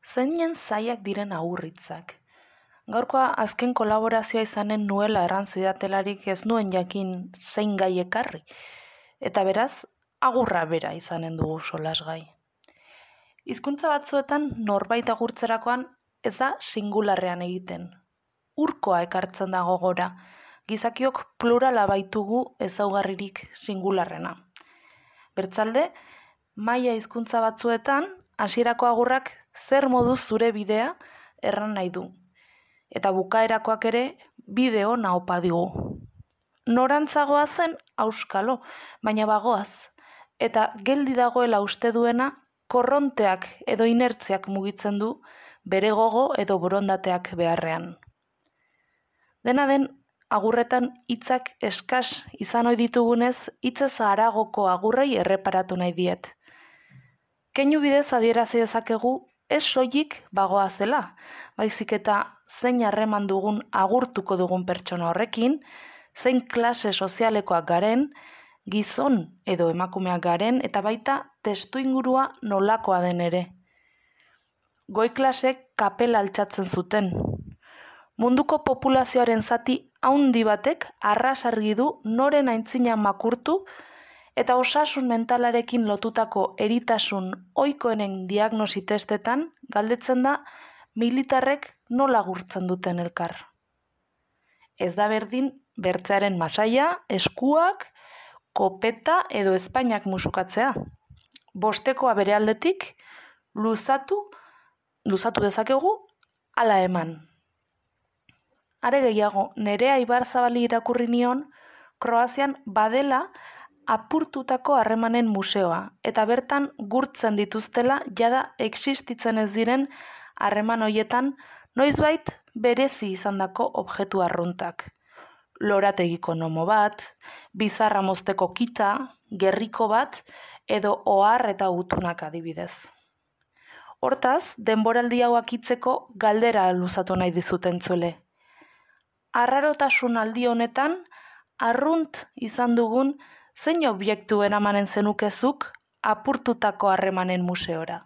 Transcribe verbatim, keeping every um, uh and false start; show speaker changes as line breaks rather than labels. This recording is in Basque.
Zeinen zaiak diren agurritzak. Gaurkoa azken kolaborazioa izanen nuela errantzidatelariek ez nuen jakin zein gai ekarri, eta beraz, agurra bera izanen dugu solasgai. Hizkuntza batzuetan norbait agurtzerakoan ez da singularrean egiten. Urkoa ekartzen da gogora, gizakiok plurala baitugu ezaugarririk singularrena. Bertzalde, maila hizkuntza batzuetan, hasierako agurrak zer moduz zure bidea erran nahi du. Eta bukaerakoak ere bide ona opa digu. Norantzagoa zen auskalo, baina bagoaz. Eta geldi dagoela uste duena korronteak edo inertziak mugitzen du bere gogo edo borondateak beharrean. Dena den, agurretan hitzak eskas izan ohi ditugunez, hitzez haragoko agurrei erreparatu nahi diet. Keinu bidez adierazi dezakegu ez soilik bagoa zela, baizik eta zein harreman dugun agurtuko dugun pertsona horrekin, zein klase sozialekoak garen, gizon edo emakumeak garen, eta baita testuingurua nolakoa den ere. Goi klasek kapela altxatzen zuten. Munduko populazioaren zati haundi batek arras argi du noren aintzina makurtu eta osasun mentalarekin lotutako eritasun ohikoenen diagnosi testetan galdetzen da militarrek nola agurtzen duten elkar. Ez da berdin bertzearen masaia, eskuak, kopeta edo ezpainak musukatzea. Bostekoa bere aldetik luzatu, luzatu dezakegu, hala eman. Are gehiago, Nerea Ibarzabali irakurri nion, Kroazian badela apurtutako harremanen museoa, eta bertan gurtzen dituztela jada existitzen ez diren harreman hoietan noizbait berezi izandako objektu arruntak. Lorategiko nomo bat, bizarra mozteko kita, gerriko bat, edo ohar eta gutunak adibidez. Hortaz, denboraldi hau akitzeko galdera luzatu nahi dizuten zuele. Arrarotasun aldi honetan, arrunt izan dugun zein objektu eramanen zenukezuk apurtutako harremanen museora.